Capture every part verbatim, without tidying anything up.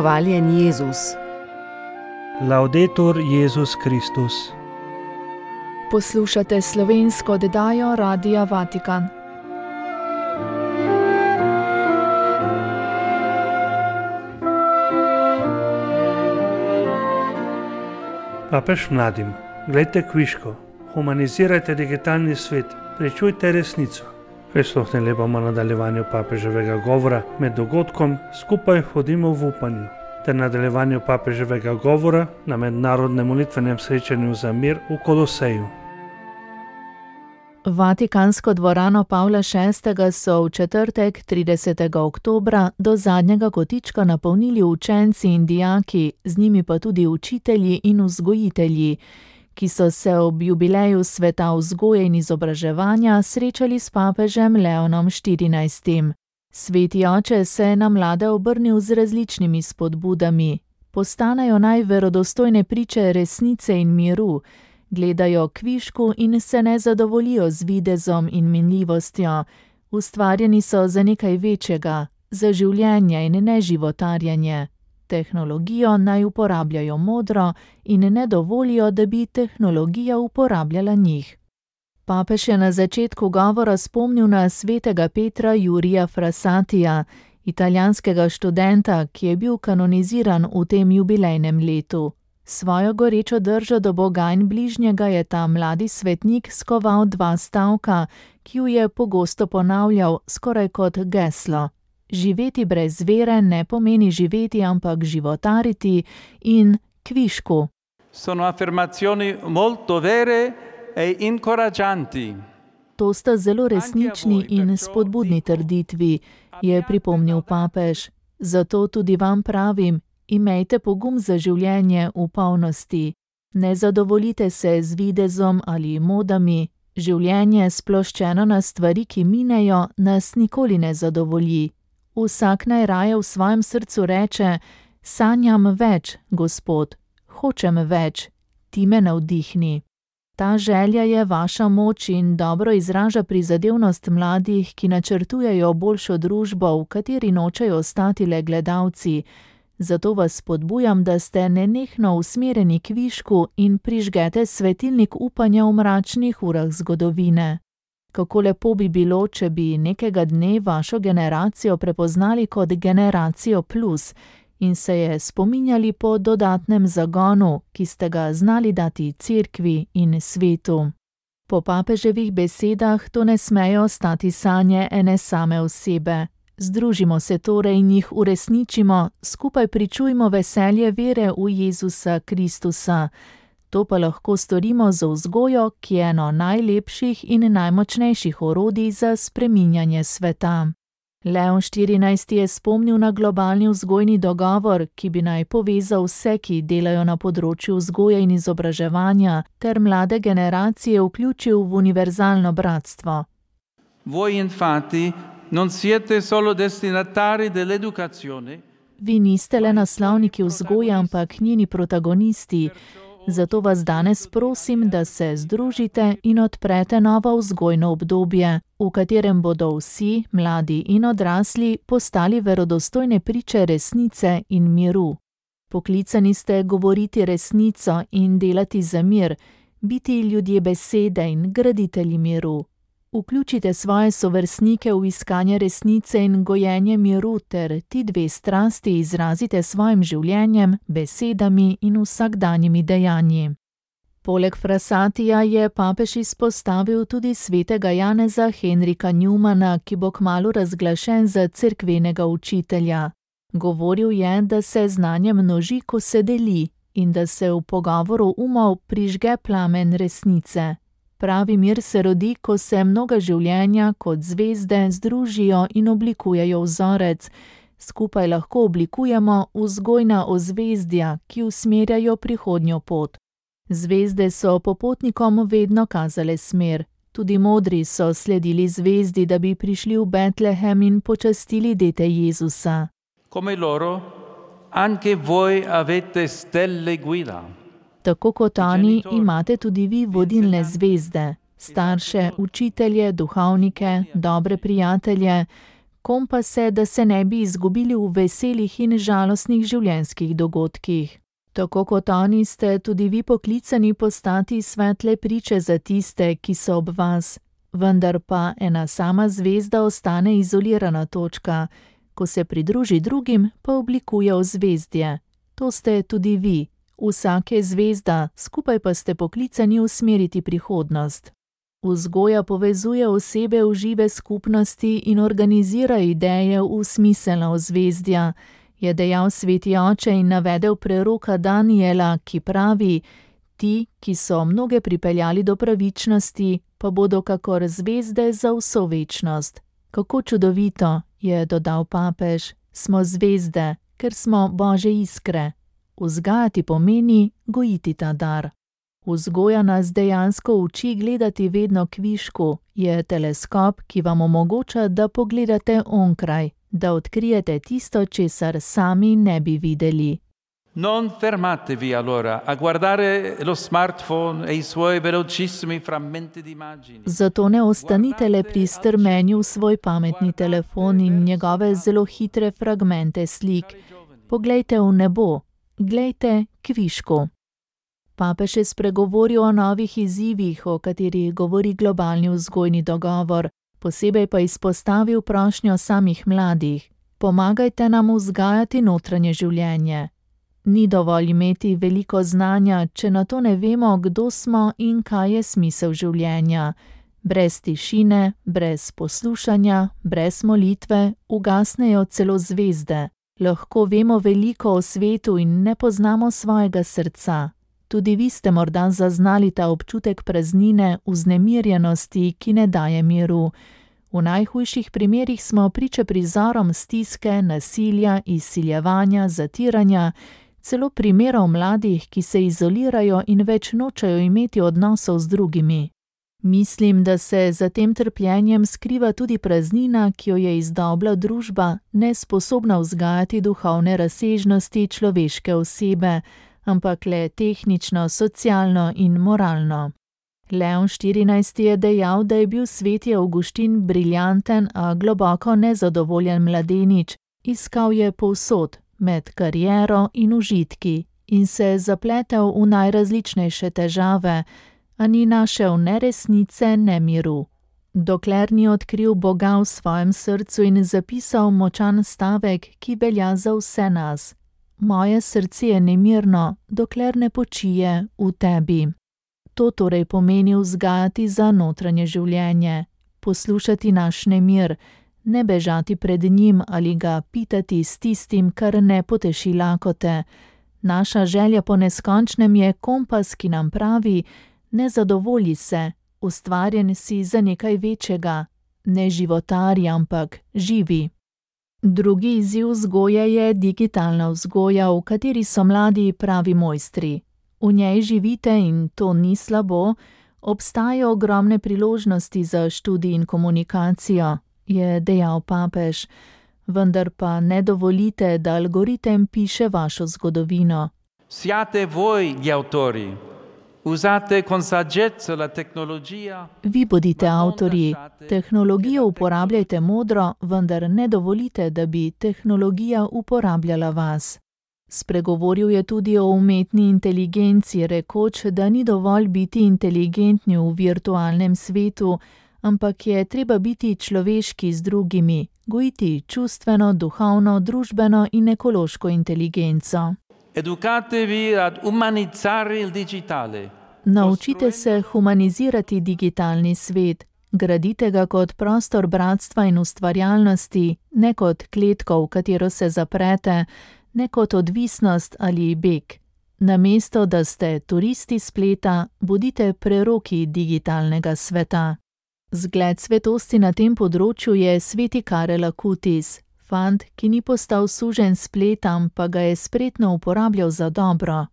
Hvaljen Jezus. Laudetur Jezus Kristus. Poslušate slovensko oddajo Radia Vatikan. Papež mladim: glejte kviško, humanizirajte digitalni svet, prečujte resnico. Prisluhnili bomo nadaljevanju papeževega govora med dogodkom Skupaj hodimo v upanju ter nadaljevanju papeževega govora na mednarodnem molitvenem srečanju za mir v Koloseju. Vatikansko dvorano Pavla šestega so v četrtek, tridesetega oktobra, do zadnjega kotička napolnili učenci in dijaki, z njimi pa tudi učitelji in vzgojitelji, ki so se ob jubileju sveta vzgoje in izobraževanja srečali s papežem Leonom štirinajstim. Sveti oče se je na mlade obrnil z različnimi spodbudami. Postanejo naj verodostojne priče resnice in miru, gledajo kvišku in se ne zadovoljijo z videzom in minljivostjo. Ustvarjeni so za nekaj večjega, za življenje in ne životarjenje. Tehnologijo naj uporabljajo modro in ne dovolijo, da bi tehnologija uporabljala njih. Papež je na začetku govora spomnil na svetega Petra Jurija Frassatija, italijanskega študenta, ki je bil kanoniziran v tem jubilejnem letu. Svojo gorečo držo do Boga in bližnjega je ta mladi svetnik skoval dva stavka, ki ju je pogosto ponavljal skoraj kot geslo. Živeti brez vere ne pomeni živeti, ampak životariti in kvišku. Sono affermazioni molto vere e incoraggianti. To sta zelo resnični in spodbudni trditvi, je pripomnil papež. Zato tudi vam pravim, imejte pogum za življenje v polnosti. Ne zadovoljite se z videzom ali modami. Življenje, sploščeno na stvari, ki minejo, nas nikoli ne zadovolji. Vsak naj raje v svojem srcu reče: sanjam več, Gospod, hočem več, ti me navdihni. Ta želja je vaša moč in dobro izraža prizadevnost mladih, ki načrtujejo boljšo družbo, v kateri nočejo ostati le gledalci. Zato vas spodbujam, da ste nenehno usmerjeni k višku in prižgete svetilnik upanja v mračnih urah zgodovine. Kako lepo bi bilo, če bi nekega dne vašo generacijo prepoznali kot generacijo plus in se je spominjali po dodatnem zagonu, ki ste ga znali dati cerkvi in svetu. Po papeževih besedah to ne smejo ostati sanje ene same osebe. Združimo se torej in jih uresničimo, skupaj pričujmo veselje vere v Jezusa Kristusa. To pa lahko storimo z vzgojo, ki je eno najlepših in najmočnejših orodij za spreminjanje sveta. Leon štirinajsti je spomnil na globalni vzgojni dogovor, ki bi naj povezal vse, ki delajo na področju vzgoje in izobraževanja, ter mlade generacije vključil v univerzalno bratstvo. Voi infatti non siete solo destinatari dell'educazione. Vi niste le naslovniki vzgoje, ampak njeni protagonisti. Zato vas danes prosim, da se združite in odprete novo vzgojno obdobje, v katerem bodo vsi, mladi in odrasli, postali verodostojne priče resnice in miru. Poklicani ste govoriti resnico in delati za mir, biti ljudje besede in graditelji miru. Vključite svoje sovrstnike v iskanje resnice in gojenje miru ter ti dve strasti izrazite svojim življenjem, besedami in vsakdanjimi dejanji. Poleg Frassatija je papež izpostavil tudi svetega Janeza Henrika Newmana, ki bo kmalu razglašen za cerkvenega učitelja. Govoril je, da se znanje množi, ko se deli, in da se v pogovoru umov prižge plamen resnice. Pravi mir se rodi, ko se mnoga življenja kot zvezde združijo in oblikujejo vzorec. Skupaj lahko oblikujemo vzgojna ozvezdja, ki usmerjajo prihodnjo pot. Zvezde so popotnikom vedno kazale smer. Tudi modri so sledili zvezdi, da bi prišli v Betlehem in počastili dete Jezusa. Come loro, anche voi avete stelle guida. Tako kot oni, imate tudi vi vodilne zvezde, starše, učitelje, duhovnike, dobre prijatelje. kompase, da se ne bi izgubili v veselih in žalostnih življenjskih dogodkih. Tako kot oni ste tudi vi poklicani postati svetle priče za tiste, ki so ob vas. Vendar pa ena sama zvezda ostane izolirana točka, ko se pridruži drugim, pa oblikuje ozvezdje. To ste tudi vi. Vsak je zvezda, skupaj pa ste poklicani usmeriti prihodnost. Vzgoja povezuje osebe v žive skupnosti in organizira ideje v smiselna ozvezdja, je dejal sveti oče in navedel preroka Daniela, ki pravi: ti, ki so mnoge pripeljali do pravičnosti, pa bodo kakor zvezde za vso večnost. Kako čudovito, je dodal papež, smo zvezde, ker smo Božje iskre. Vzgajati pomeni gojiti ta dar. Vzgoja nas dejansko uči gledati vedno kvišku, je teleskop, ki vam omogoča, da pogledate onkraj, da odkrijete tisto, česar sami ne bi videli. Non fermatevi allora a guardare lo smartphone e i suoi velocissimi frammenti di immagini. Zato ne ostanite le pri strmenju v svoj pametni telefon in njegove zelo hitre fragmente slik. Poglejte v nebo, glejte kvišku. Papež je spregovoril o novih izzivih, o katerih govori globalni vzgojni dogovor, posebej pa izpostavil prošnjo samih mladih. Pomagajte nam vzgajati notranje življenje. Ni dovolj imeti veliko znanja, če na to ne vemo, kdo smo in kaj je smisel življenja. Brez tišine, brez poslušanja, brez molitve ugasnejo celo zvezde. Lahko vemo veliko o svetu in ne poznamo svojega srca. Tudi vi ste morda zaznali ta občutek praznine, vznemirjenosti, ki ne daje miru. V najhujših primerih smo priče prizorom stiske, nasilja, izsiljevanja, zatiranja, celo primerov mladih, ki se izolirajo in več nočejo imeti odnosov z drugimi. Mislim, da se za tem trpljenjem skriva tudi praznina, ki jo je izdobla družba, nesposobna vzgajati duhovne razsežnosti človeške osebe, ampak le tehnično, socialno in moralno. Leon štirinajsti je dejal, da je bil sveti Avguštin briljanten, a globoko nezadovoljen mladenič. Iskal je povsod, med kariero in užitki, in se zapletel v najrazličnejše težave, a ni našel ne resnice, ne miru. Dokler ni odkril Boga v svojem srcu in zapisal močan stavek, ki velja za vse nas. Moje srce je nemirno, dokler ne počije v tebi. To torej pomeni vzgajati za notranje življenje, poslušati naš nemir, ne bežati pred njim ali ga pitati s tistim, kar ne poteši lakote. Naša želja po neskončnem je kompas, ki nam pravi: ne zadovolji se, ustvarjen si za nekaj večjega, ne životari, ampak živi. Drugi izziv vzgoje je digitalna vzgoja, v kateri so mladi pravi mojstri. V njej živite in to ni slabo, obstajajo ogromne priložnosti za študij in komunikacijo, je dejal papež, vendar pa ne dovolite, da algoritem piše vašo zgodovino. Siate voi gli autori. Usate con saggezza la tecnologia. Vi bodite avtorji. Tehnologijo uporabljajte modro, vendar ne dovolite, da bi tehnologija uporabljala vas. Spregovoril je tudi o umetni inteligenci, rekoč, da ni dovolj biti inteligentni v virtualnem svetu, ampak je treba biti človeški z drugimi, gojiti čustveno, duhovno, družbeno in ekološko inteligenco. Educatevi ad umanizzare il digitale. Naučite se humanizirati digitalni svet, gradite ga kot prostor bratstva in ustvarjalnosti, ne kot kletko, v katero se zaprete, ne kot odvisnost ali beg. Namesto, da ste turisti spleta, bodite preroki digitalnega sveta. Zgled svetosti na tem področju je sveti Karel Acutis, fant, ki ni postal suženj spletam, pa ga je spretno uporabljal za dobro.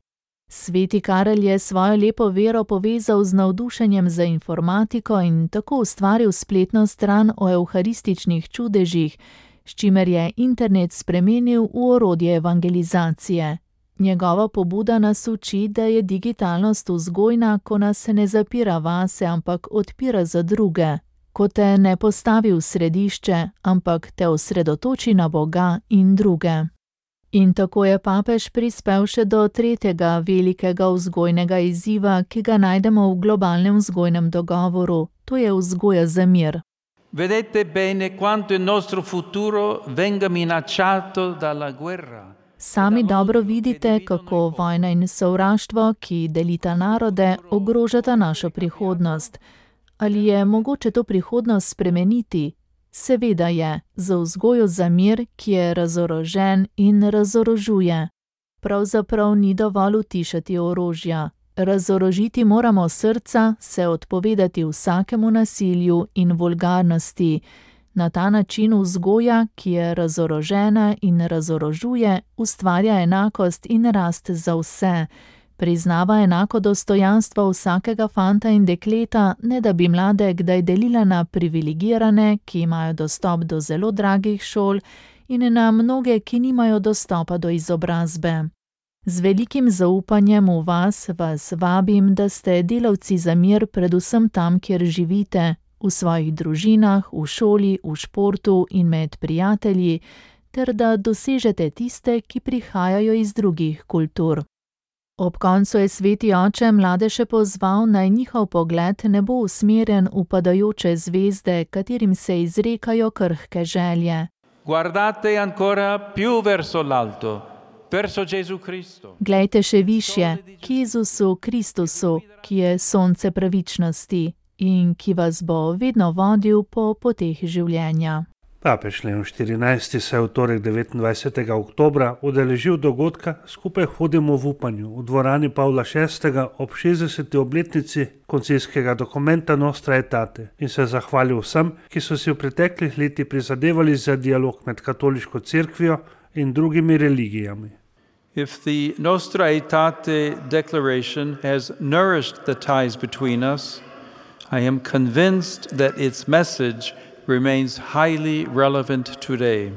Sveti Karel je svojo lepo vero povezal z navdušenjem za informatiko in tako ustvaril spletno stran o evharističnih čudežih, s čimer je internet spremenil v orodje evangelizacije. Njegova pobuda nas uči, da je digitalnost vzgojna, ko nas ne zapira vase, ampak odpira za druge, ko te ne postavi v središče, ampak te osredotoči na Boga in druge. In tako je papež prispel še do tretjega velikega vzgojnega izziva, ki ga najdemo v globalnem vzgojnem dogovoru, to je vzgoja za mir. Vedete bene quanto il nostro futuro venga minacciato dalla guerra. Sami dobro vidite, kako vojna in sovraštvo, ki delita narode, ogrožata našo prihodnost. Ali je mogoče to prihodnost spremeniti? Seveda je, za vzgojo za mir, ki je razorožen in razorožuje. Pravzaprav ni dovolj utišati orožja. Razorožiti moramo srca, se odpovedati vsakemu nasilju in vulgarnosti. Na ta način vzgoja, ki je razorožena in razorožuje, ustvarja enakost in rast za vse. Priznava enako dostojanstvo vsakega fanta in dekleta, ne da bi mlade kdaj delila na privilegirane, ki imajo dostop do zelo dragih šol, in na mnoge, ki nimajo dostopa do izobrazbe. Z velikim zaupanjem v vas vas vabim, da ste delavci za mir predvsem tam, kjer živite, v svojih družinah, v šoli, v športu in med prijatelji, ter da dosežete tiste, ki prihajajo iz drugih kultur. Ob koncu je sveti oče mlade še pozval, naj njihov pogled ne bo usmerjen v padajoče zvezde, katerim se izrekajo krhke želje. Guardate ancora più verso l'alto, verso Gesù Cristo. Glejte še višje, k Jezusu Kristusu, ki je sonce pravičnosti in ki vas bo vedno vodil po poteh življenja. Papež Leon štirinajsti se je v torek devetindvajsetega oktobra udeležil dogodka Skupaj hodimo v upanju v dvorani Pavla šestega ob šestdeseti obletnici koncilskega dokumenta Nostra Aetate in se zahvalil vsem, ki so si v preteklih letih prizadevali za dialog med katoliško cerkvijo in drugimi religijami. If the Nostra Aetate declaration has nourished the ties between us, I am convinced that its message remains highly relevant today.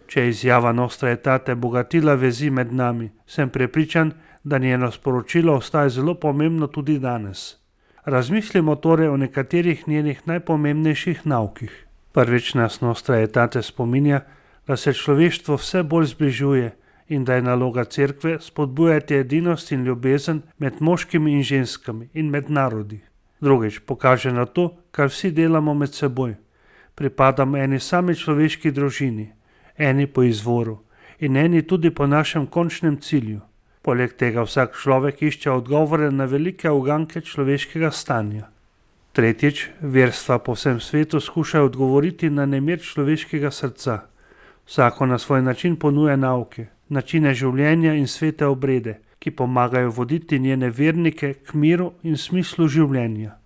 Če je izjava Nostra Aetate bogatila vezi med nami, sem prepričan, da njeno sporočilo ostaja zelo pomembno tudi danes. Razmislimo torej o nekaterih njenih najpomembnejših naukih. Prvič nas Nostra Aetate spominja, da se človeštvo vse bolj zbližuje in da je naloga cerkve spodbujati edinost in ljubezen med moškimi in ženskami in med narodi. Drugič pokaže na to, kar vsi delamo med seboj. Pripadamo eni sami človeški družini, eni po izvoru in eni tudi po našem končnem cilju. Poleg tega vsak človek išče odgovore na velike uganke človeškega stanja. Tretjič, verstva po vsem svetu skušajo odgovoriti na nemir človeškega srca. Vsako na svoj način ponuja nauke, načine življenja in svete obrede, ki pomagajo voditi njene vernike k miru in smislu življenja.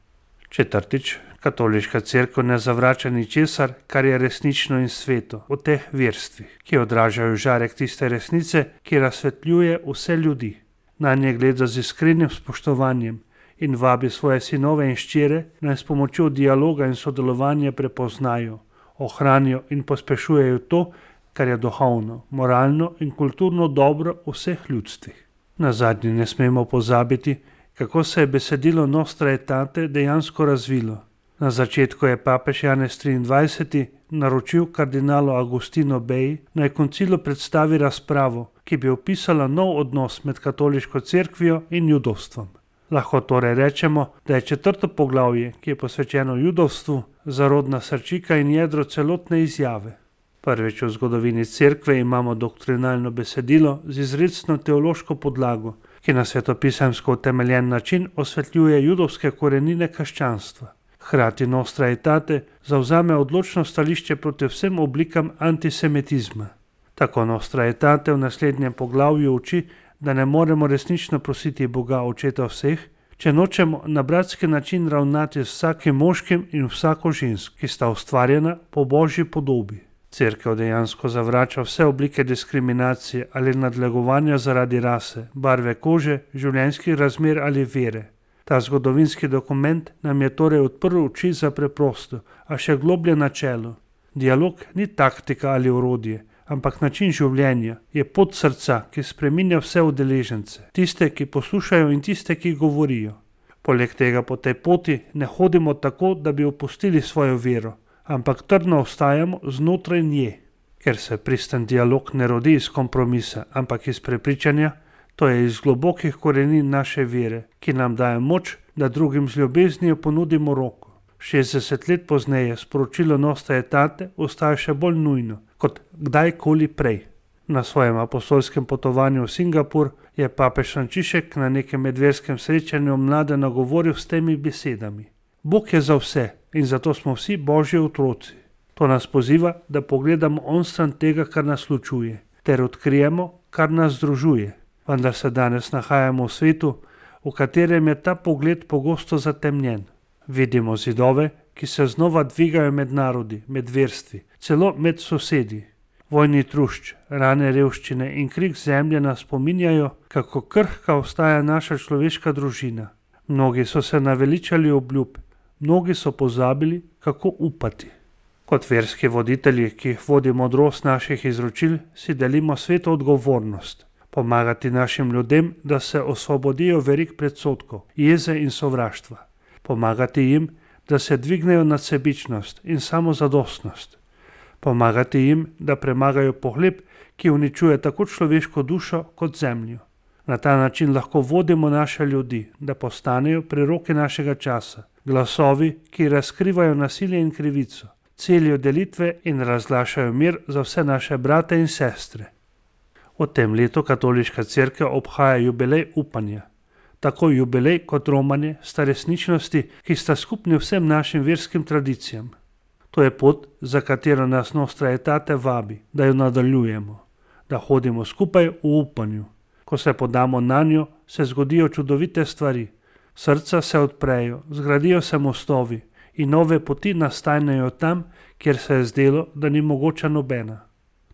Četrtič, katoliška cerkev ne zavrača ničesar, kar je resnično in sveto, v teh verstvih, ki odražajo žarek tiste resnice, ki razsvetljuje vse ljudi. Na nje gleda z iskrenim spoštovanjem in vabi svoje sinove in hčere, naj s pomočjo dialoga in sodelovanja prepoznajo, ohranijo in pospešujejo to, kar je duhovno, moralno in kulturno dobro v vseh ljudstvih. Nazadnje ne smemo pozabiti, kako se je besedilo Nostra Aetate dejansko razvilo. Na začetku je papež Janez triindvajseti naročil kardinalu Agostinu Beji, naj koncilu predstavi razpravo, ki bi opisala nov odnos med katoliško cerkvijo in judovstvom. Lahko torej rečemo, da je četrto poglavje, ki je posvečeno judovstvu, zarodna srčika in jedro celotne izjave. Prvič v zgodovini cerkve imamo doktrinalno besedilo z izrecno teološko podlago, ki na svetopisemsko utemeljen način osvetljuje judovske korenine krščanstva. Hkrati Nostra Aetate zavzame odločno stališče proti vsem oblikam antisemitizma. Tako Nostra Aetate v naslednjem poglavju uči, da ne moremo resnično prositi Boga Očeta vseh, če nočemo na bratski način ravnati z vsakim moškim in vsako žensko, ki sta ustvarjena po Božji podobi. Cerkev dejansko zavrača vse oblike diskriminacije ali nadlegovanja zaradi rase, barve kože, življenjskih razmer ali vere. Ta zgodovinski dokument nam je torej odprl oči za preprosto, a še globlje načelo. Dialog ni taktika ali orodje, ampak način življenja, je pot srca, ki spreminja vse udeležence, tiste, ki poslušajo in tiste, ki govorijo. Poleg tega po tej poti ne hodimo tako, da bi opustili svojo vero, ampak trdno ostajamo znotraj nje. Ker se pristen dialog ne rodi iz kompromisa, ampak iz prepričanja, to je iz globokih korenin naše vere, ki nam daje moč, da drugim z ljubeznijo ponudimo roko. šestdeset let pozneje sporočilo Nostra Aetate ostaja še bolj nujno kot kdajkoli prej. Na svojem apostolskem potovanju v Singapur je papež Frančišek na nekem medverskem srečanju mlade nagovoril s temi besedami: Bog je za vse in zato smo vsi Božji otroci. To nas poziva, da pogledamo onstran tega, kar nas ločuje, ter odkrijemo, kar nas združuje. Vendar se danes nahajamo v svetu, v katerem je ta pogled pogosto zatemnjen. Vidimo zidove, ki se znova dvigajo med narodi, med verstvi, celo med sosedi. Vojni trušč, rane revščine in krik zemlje nas spominjajo, kako krhka ostaja naša človeška družina. Mnogi so se naveličali obljub, mnogi so pozabili, kako upati. Kot verski voditelji, ki jih vodi modrost naših izročil, si delimo sveto odgovornost. Pomagati našim ljudem, da se osvobodijo verig predsodkov, jeze in sovraštva. Pomagati jim, da se dvignejo nad sebičnost in samozadostnost. Pomagati jim, da premagajo pohlep, ki uničuje tako človeško dušo kot zemljo. Na ta način lahko vodimo naše ljudi, da postanejo preroki našega časa, glasovi, ki razkrivajo nasilje in krivico, celijo delitve in razglašajo mir za vse naše brate in sestre. V tem letu katoliška cerkev obhaja jubilej upanja. Tako jubilej kot romanje sta resničnosti, ki sta skupni vsem našim verskim tradicijam. To je pot, za katero nas Nostra Aetate vabi, da jo nadaljujemo, da hodimo skupaj v upanju. Ko se podamo na njo, se zgodijo čudovite stvari. Srca se odprejo, zgradijo se mostovi in nove poti nastanejo tam, kjer se je zdelo, da ni mogoča nobena.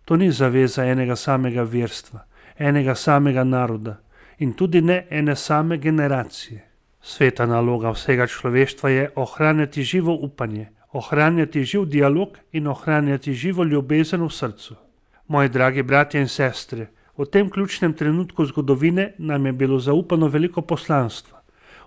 To ni zaveza enega samega verstva, enega samega naroda in tudi ne ene same generacije. Sveta naloga vsega človeštva je ohranjati živo upanje, ohranjati živ dialog in ohranjati živo ljubezen v srcu. Moji dragi bratje in sestre, v tem ključnem trenutku zgodovine nam je bilo zaupano veliko poslanstva.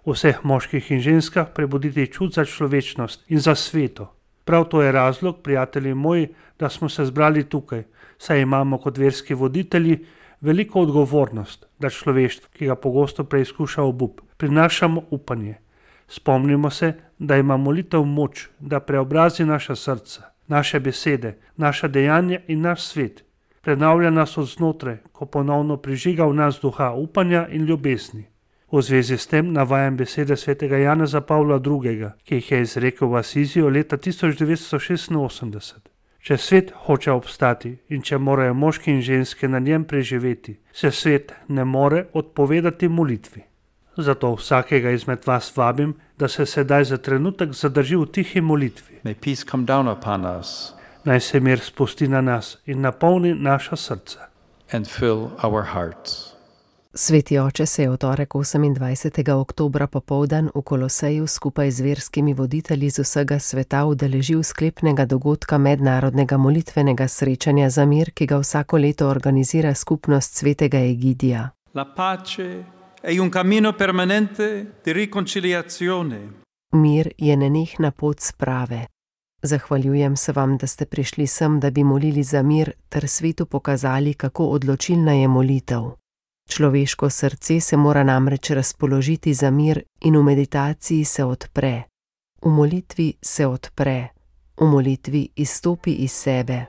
V vseh moških in ženskah prebuditi čut za človečnost in za sveto. Prav to je razlog, prijatelji moji, da smo se zbrali tukaj, saj imamo kot verski voditelji veliko odgovornost, da človeštvo, ki ga pogosto preizkuša obup, prinašamo upanje. Spomnimo se, da ima molitev moč, da preobrazi naša srca, naše besede, naša dejanja in naš svet. Prenavlja nas od znotraj, ko ponovno prižiga v nas duha upanja in ljubezni. V zvezi s tem navajam besede svetega Janeza Pavla drugega, ki jih je izrekel v Asiziju leta tisoč devetsto šestinosemdeset. Če svet hoče obstati in če morajo moški in ženske na njem preživeti, se svet ne more odpovedati molitvi. Zato vsakega izmed vas vabim, da se sedaj za trenutek zadrži v tihi molitvi. May peace come down upon us Naj se mir spusti na nas in napolni naša srca. and fill our hearts. Sveti oče se je v torek osemindvajsetega oktobra popoldan v Koloseju skupaj z verskimi voditelji z vsega sveta udeležil sklepnega dogodka mednarodnega molitvenega srečanja za mir, ki ga vsako leto organizira skupnost svetega Egidija. La pace è un cammino permanente di riconciliazione. Mir je nenehna pot sprave. Zahvaljujem se vam, da ste prišli sem, da bi molili za mir ter svetu pokazali, kako odločilna je molitev. Človeško srce se mora namreč razpoložiti za mir in v meditaciji se odpre. V molitvi se odpre, v molitvi izstopi iz sebe.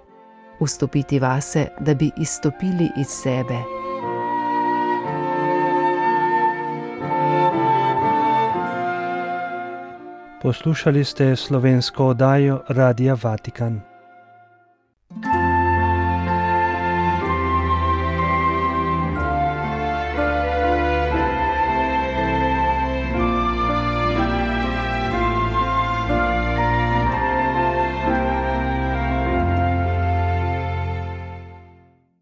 Vstopiti vase, da bi izstopili iz sebe. Poslušali ste slovensko oddajo Radia Vatikan.